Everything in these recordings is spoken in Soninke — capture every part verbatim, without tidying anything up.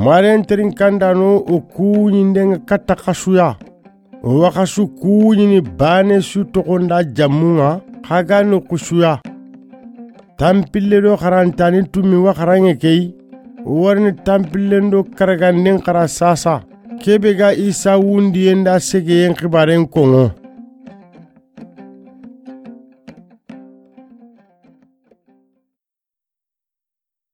Maren terinkandaano o kuuñinden ŋa katta xasu ya. O wa xasu kuuñini baane su toxo nda jammun ŋa, xa ga ni xusu ya. Tanpille do xarantaani tumi wa xaranŋe ke yi. O wa riini tanpillen do karaganden xara saasa. Ke be ga Isa wundiyen da segeyen xibaaren koŋo.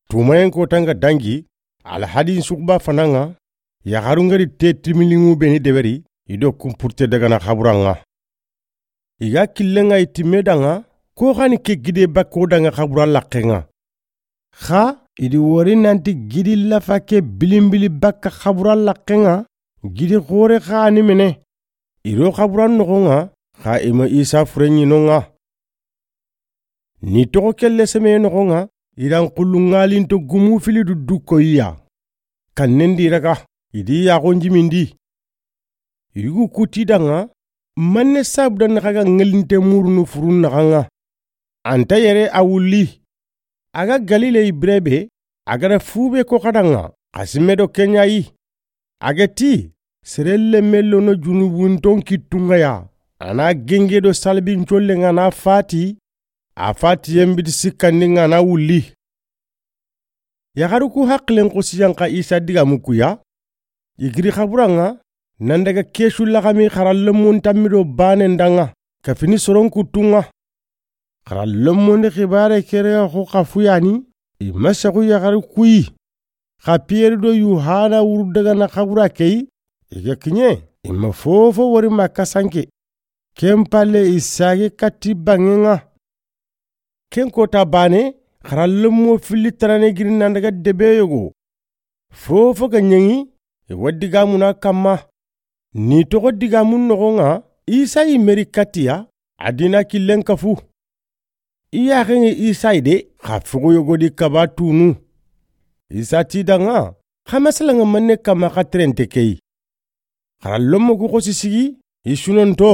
Tumayen kota ŋa dangi, Alhadin suxuba fana ŋa, yaxarun ga ri te timiliŋu be ni deberi, i do kunpurte dagana xaburan ŋa. I ga killen ŋa i timme da ŋa, ko xa ni ke gide bakko da ŋa xabura laqqen ŋa. Xa i di wori nanti gidi lafa ke bilinbili bakka xabura laqqen ŋa, gidi xoore xa ni mene. I do xaburan noxon ŋa, xa i ma Isa fure ɲi non ŋa. Ni toxo kelle seme noxon ŋa, i da n xullu ŋalinto gumu fili du du koyiya. Kannen di raga, i di yaxon jimindi. Yugu kuti da ŋa, manne sabu da naxa ga ŋelinte murunu furun naxa ŋa. Anta yere a wulli. A ga Galile yi bire be, a ga da fu be ko xa da ŋa, xa simme do ke ɲa yi. A ga ti, sere lemme lono junubunton kittun ŋa ya, a na genge do salbin collen ŋa na fati, a fatiyen biti sikkandi ŋa na wulli. Yaxaru ku haqilen xosi yan xa Isa digamu ku ya. I giri xaburan ŋa, nan daga kesu laxami xara lemmon tammi do baanen da ŋa, kafini soron kuttun ŋa. Xara lemmondi xibaare kere xo xa fuyani, i ma sexu yaxaru ku yi. Xa Piyeri do Yuhana wuru dagana xabura ke yi, i ga kiɲe, i ma fofo wori ma kasanke. Ken palle i sage katti banŋen ŋa. Ken kota baane, xara lemmo filli tarane giri nan daga debe yogo. Fofo ga ɲeŋi, i wa digamuna kamma. Ni toxo digamun noxon ŋa, Isa yi meri kattiya, a dina killen kafu. I yaxen ŋa Isa yi de, xa fogo yogo di kaba tunu. Isa ti da ŋa, xa masala ŋa manne kamma xa terente ke yi. Xara lommo ku xosi sigi, i sunonto,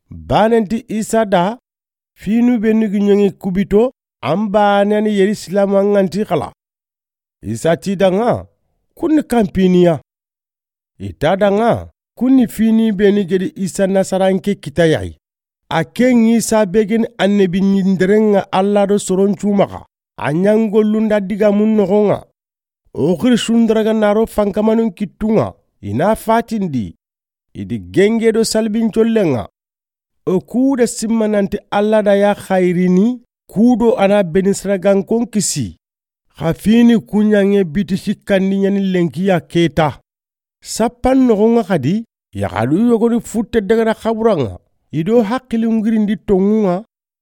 baanenti Isa da, finu be ni gi ɲeŋi kubito, an baane ni Yerusalem an ŋa nti xala. Isa ti da ŋa, kun ni kanpiniya. I ta da ŋa, kun ni fini be ni gedi Isa Nasaranke kita ya yi. A ken Isa be geni annabi ɲinderen ŋa Alla do soron cu maxa. A ɲangollun da digamun noxon ŋa. O xiri sundaraga naro fankamanun kittun ŋa, i na fatindi. I di genge do salbin collen ŋa. O ku da simma nanti Alla da ya xayirini, ku do a na beni saragankon kisi. Xa fini ku ɲaŋe biti sikkandi ɲani lenki ya keta. Sappan noxon ŋa xadi, yaxaru yogoni futte dagana xaburan ŋa, i do haqilin girindi tonŋun ŋa,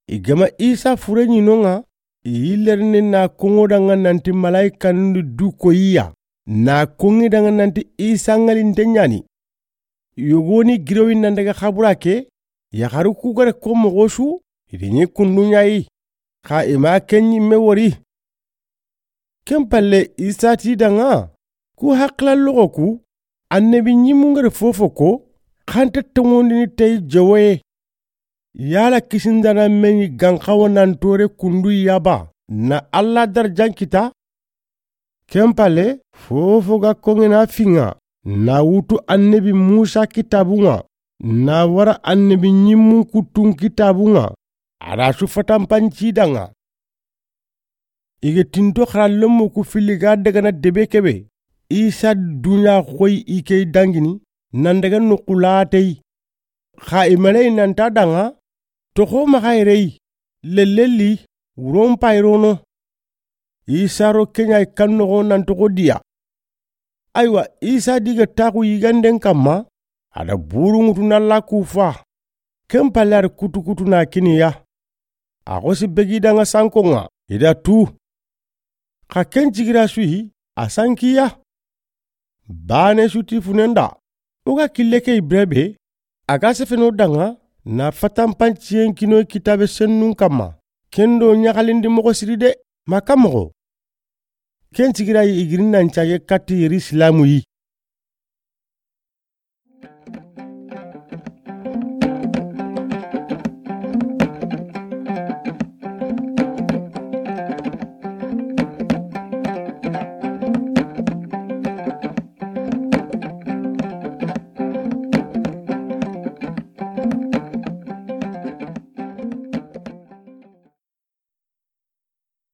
i ga ma Isa fure ɲi non ŋa, i yi lerni na koŋo da ŋa nanti malayikanun di du koyiya, na koŋi da ŋa nanti Isa ŋalinte ɲani. Yogoni girowi nan daga xabura ke, yaxaru ku ga da ko moxo su, i di ɲi kundu ɲa yi, xa i ma ken ɲimme wori. Ken palle Isa ti da ŋa, ku haqila loxo ku, annabi ɲimmun ga da fofo ko, xa nta toŋondini tayi jowoye. Yala kisindana meɲi ganxawa nan tore kundu yaba, na Alla darajan kita. Ken palle, fofo ga koŋena fiŋa, na wutu annabi Musa kitabun ŋa, na wara annabi ɲimmun kuttun kitabun ŋa, a da su fatanpanci da ŋa. I ga tinto xara lommo ku filli ga dagana debe kebe, Isa duɲa xoyi i ke dangini, nan daga noqu lateyi. Xa i maleyi nan ta da ŋa, toxo maxa yere yi, lellelli, wuron payirono. Isa ro ke ɲa yi kan noxo nan toxo diya. Aywa, Isa di ga taxu yiganden kamma, a da buru ŋutu na la ku fa. Ken palle a da kutu kutu na kiniya. A xosi begi da ŋa sankon ŋa, i da tu. Xa ken cigira su yi, a sankiya. Baane su ti funen da, o ga kille ke yi bire be, a ga sefeno da ŋa, na fatanpanciyen kinoyi kitabe sennun kamma, ken do ɲaxalindi moxo siri de, ma ka moxo. Ken cigira yi i giri nan cage katti Yerusalemu yi.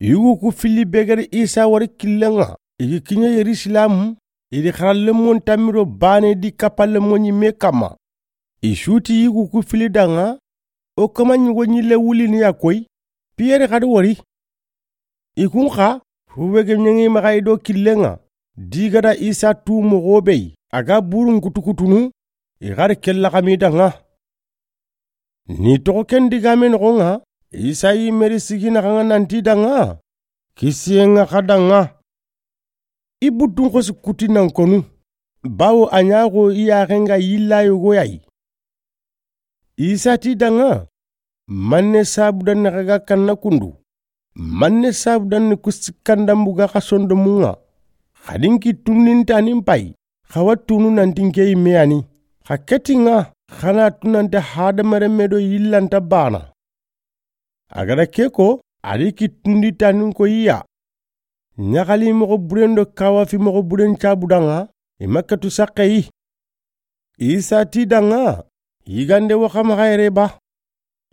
Yugu ku filli be ga ri Isa wari killen ŋa, i gi kiɲe Yerisilamu, i di xarallenmon tanmi do baane di kapallenmo ɲimme kanma. I su ti yugu ku filli da ŋa, o kama ɲugo ɲille wulini ya koyi, Piyere xadi wari. I kun xa, hube ge ɲeŋi maxa i do killen ŋa, di ga da Isa tu moxo be yi, a ga burun kutukutunu, i xadi kella xami da ŋa. Ni toxo ken digame noxo ŋa, Isa yi meri sigi naxa ŋa nanti da ŋa, kisiye ŋa xa da ŋa. I buttun xosi kuti nan konu, bawo a ɲaxo i yaxe ŋa yilla yogo ya yi. Isa ti da ŋa, manne sabu da ni xa ga kanna kundu, manne sabu da ni ku sikkandambu ga xa sondomun ŋa, xadi n kittundinta ni n payi, xa wa tunu nanti n ke yimme ya ni, xa keti ŋa, xa na tu nanti hadamarenme do yillanta bana. A ga da ke ko, a di kittundi tanin ko i ya. Ɲaxali moxo buren do kawafi moxo buren cabu da ŋa, i ma ketu saxe yi. Isa ti da ŋa, yigande wo xa maxa yere ba.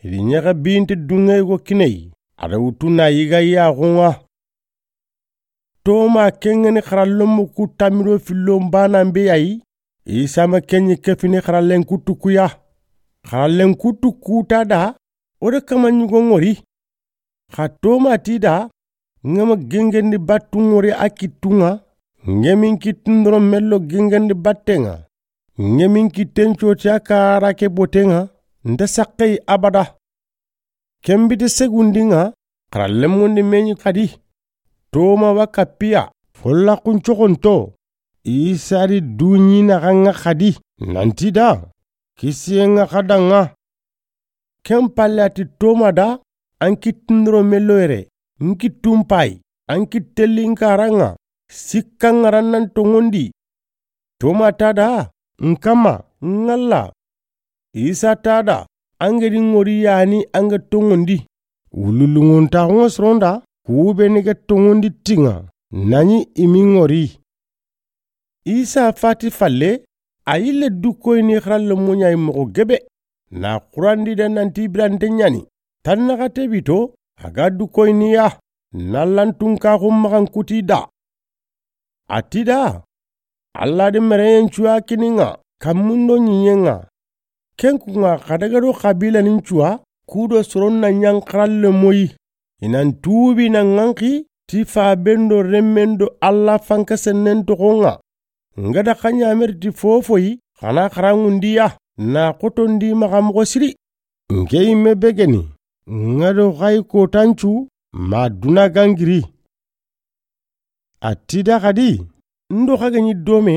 I di ɲaxa binte dunŋe go kine yi, a da wutu na yiga yaxun ŋa. Toma ken ŋa ni xarallenmu ku tanmi do fillon banan be ya yi, Isa ma ken ɲi kefini xarallen kuttu ku ya. Xarallen kuttu ku ta da, o de kama ɲugo ŋori. Xa Toma ti da, n ga ma gengendi battu ŋori a kittun ŋa, n ge min kittun doro mello gengendi batten ŋa, n ge min kitten coti a kara ke boten ŋa, nta saxe yi abada. Ken bite segundi ŋa, xarallenmon di me ɲi xadi. Toma wa kappiya, folla kun coxonto, Isa di duɲi naxa ŋa xadi, nanti da, kisiye ŋa xa da ŋa. Ken palle a ti Toma da, an kittun doro mello yere, n kittun payi, an kittelli n kara ŋa, sikka ŋa ra nan toŋondi. Toma ta da, n kama, n ŋalla. Isa ta da, an ge di ŋori ya ni an ga toŋondi. Wululunŋontaxun ŋa soron da, ku be ni ga toŋondi ti ŋa, na ɲi i mi ŋori. Isa fati falle, a yille du koyini xarallenmu ɲa yi moxo gebe. Na xurandi da nanti birante ɲa ni, tan naxate bito, a ga du koyini ya, na lantunkaxun maxan kuti da. A ti da, Alla di mereyen cuya kini ŋa, kanmun do ɲiɲen ŋa. Ken kun ŋa xa daga do xabilanin cuya, ku do soron na ɲa n xarallenmo yi. I nan tuubi na ŋanxi, ti faben do renmen do Alla fankasennen toxon ŋa. N ga da xa ɲameri ti fofo yi, xa na xaranŋundi ya, na xotondi maxa moxo siri. N ke yimme be ge ni, n ga do xa yi kotancu, ma duna gangiri. A ti da xadi, n do xa ga ɲi dome,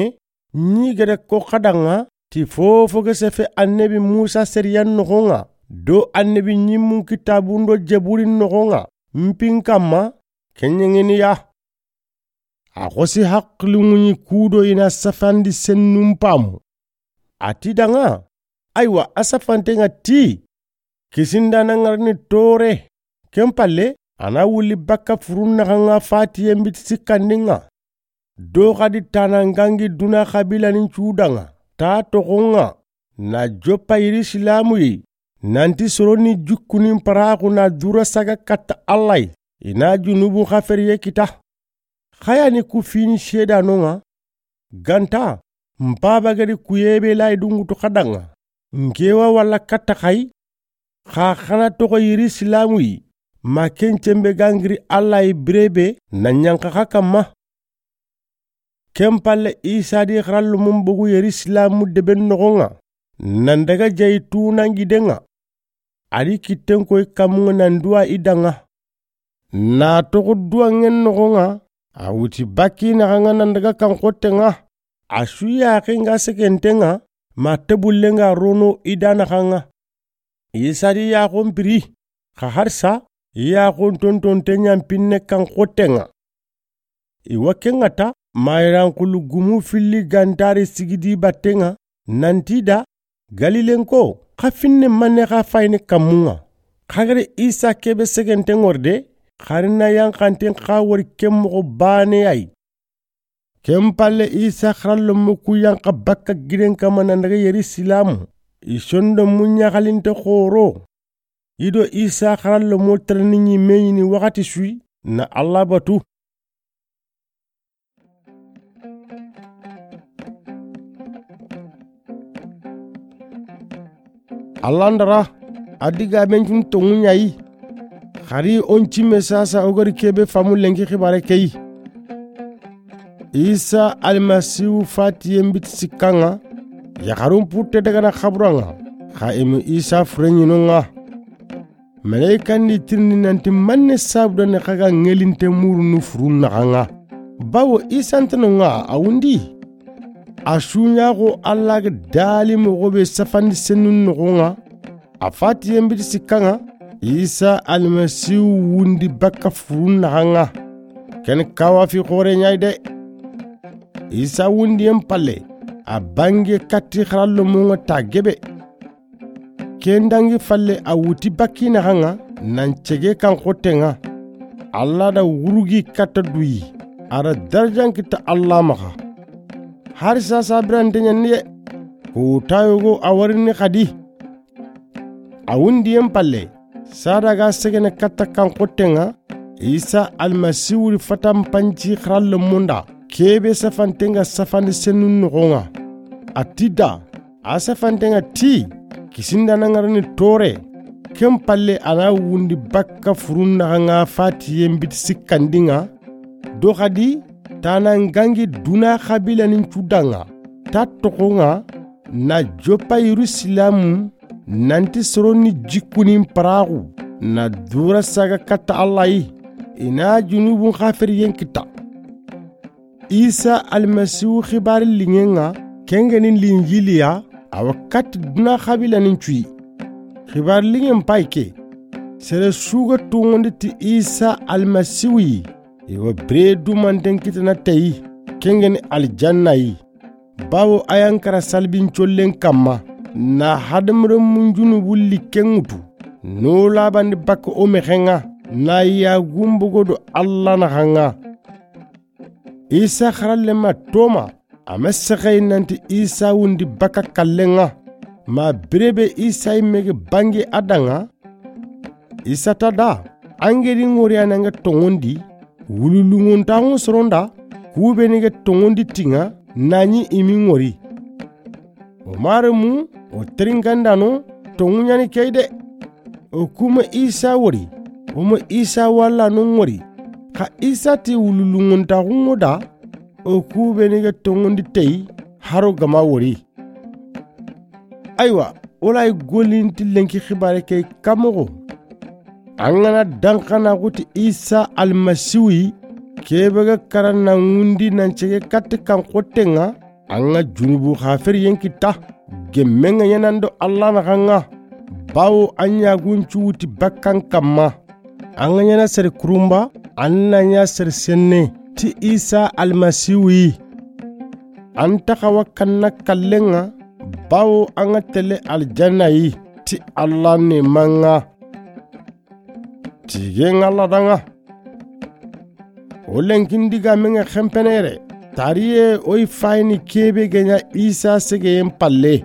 ɲi ga da ko xa da ŋa, ti fofo ga sefe annabi Musa seriyan noxon ŋa, do annabi ɲimmun kitabun do jeburin noxon ŋa, n pin kanma, ken ɲeŋeni ya. A xosi haqilunŋuɲi ku do i na safandi sennun pamu. A ti da ŋa, aywa, a safanten ŋa ti, kisinda na ŋarini tore, ken palle, a na wuli bakka furun naxa ŋa fatiyen biti sikkandin ŋa. Do xadi tana ŋangi duna xabilanin cu da ŋa, ta toxon ŋa, na joppa Yerisilamu yi, nanti soroni jukkunin paraxu na dura saga katta Alla yi, i na junubu xaferiye kita. Xa ya ni ku fini seedanon ŋa, ganta, n paba ga di kuyebe layi dungutu xa da ŋa, n ke wa walla katta xa yi, xa xa na toxo Yerisilamu yi, ma ken cembe gangiri Alla yi birebe na ɲanxa xa kanma. Ken palle Isa di xarallenmun bogu Yerisilamu deben noxon ŋa, nan daga jayi tunan giden ŋa. A di kitten koyi kanmun ŋa nan duwa i da ŋa. Na toxo duwanŋen noxon ŋa, a wuti bakki naxa ŋa nan daga kan xotten ŋa. A su yaxen ga segenten ŋa, ma tebullen ga rono i da naxa ŋa. Isa di yaxon piri, xa harsa, yaxon tontonten ɲa n pinne kan xotten ŋa. I wa ken ŋa ta, ma yiran xulu gumu filli gantari sigidi batten ŋa, nanti da, Galilenko, xa finne manne xa fayini kanmun ŋa. Xa ga da Isa kebe segenten ŋori de, xari na yanxanten xa wori ken moxo baane ya yi. Ken palle Isa xarallenmu ku yanxa bakka giden kanma nan daga Yerisilamu, i sondomu ɲaxalinte xoro. I do Isa xarallenmu tereni ɲimme ɲini waxati su yi, na Alla batu. Alla n dara, a digaamen cu n toŋu ɲa yi. Xari o n cimme saasa o ga ri ke be faamu lenki xibaare ke yi. Isa Almasihu fatiyen biti sikka ŋa, yaxarun putte daga na xabura ŋa, xa i mu Isa fureɲino ŋa. Maleyika n di tirindi nanti manne sabu da ni xa ga ŋelinte murunu furun naxa ŋa. Bawo Isa nta no ŋa a wundi. A suɲaxo Alla ga dali moxo be safandi senun noxo ŋa. A fatiyen biti sikka ŋa, Isa Almasihu wundi bakka furun naxa ŋa. Ken kawa fi xoore ɲa yi de. Isa wundiyen palle, a bange katti xarallo mo ŋa ta gebe. Ken dangi falle a wuti bakki naxa ŋa, nan cege kan xotte ŋa. Alla da wurugi katta duyi, a da darajan kita Alla maxa. Hari saasa birante ɲa ni ye, ko ta yogo a warini xadi. A wundiyen palle, sada ga segene katta kan xotte ŋa, Isa Almasihu ri fatan panci xarallo mo n da, ke be safante ŋa safandi senun noxo ŋa. A ti da, a safante ŋa ti, kisinda na ŋarini tore. Ken palle a na wundi bakka furun naxa ŋa fatiyen biti sikkandi ŋa, do xadi ta na ŋangi duna xabilanin cu da ŋa, ta toxo ŋa, na joppa Yerusalemu, nanti soro ni jikkunin paraxu, na dura saga katta Alla yi, i na junubun xaferiyen kita. Isa Almasihu xibaari liŋen ŋa, ken ga ni Linjiliya, a wa katti duna xabilanin cu yi. Xibaari liŋen payi ke, sere su ga toŋondi ti Isa Almasihu yi, i wa bire dumanten kitana teyi, ken ga ni aljanna yi. Bawo a yan kara salbin collen kamma, na hadamarenmun junubun likken ŋutu, no labandi bakka o mexen ŋa, na yagun bogo do Alla naxa ŋa. Isa xarallema Toma, a ma sexeyi nanti Isa wundi bakka kallen ŋa. Ma bire be Isa yimme ga bange a da ŋa, Isa ta da, an ga ri ŋori a na ŋa toŋondi, wululunŋontaxun soron da, ku be ni ga toŋondi ti ŋa, na ɲi i mi ŋori. O maremu, o terinkandano, toŋu ɲa ni ke yi de. O ku ma Isa wori, o ma Isa walla no ŋori. Xa Isa ti wululunŋontaxun ŋo da, o ku be ni ga toŋondi teyi, haro ga ma wori. Aywa, wala i golinti lenki xibaare ke kamoxo. An ga na danxana xuti Isa Almasihu yi, ke be ga karan na ŋundi nan cege katti kan xotte ŋa, an ga junubu xaferiyen kita, gemmen ŋa ɲaana an do Alla naxa ŋa, bawo an yagun cu wuti bakkan kamma. An ga ɲaana sere kurunba, an na ɲa sere senne, ti Isa Almasihu yi. An ta xawa kanna kallen ŋa, bawo an ga tele aljanna yi, ti Alla neeman ŋa. Tigen ŋa Alla da ŋa. O lenkin digaamen ŋa xenpene yere. Tariye o yi fayini ke be ga ɲa Isa segeyen palle.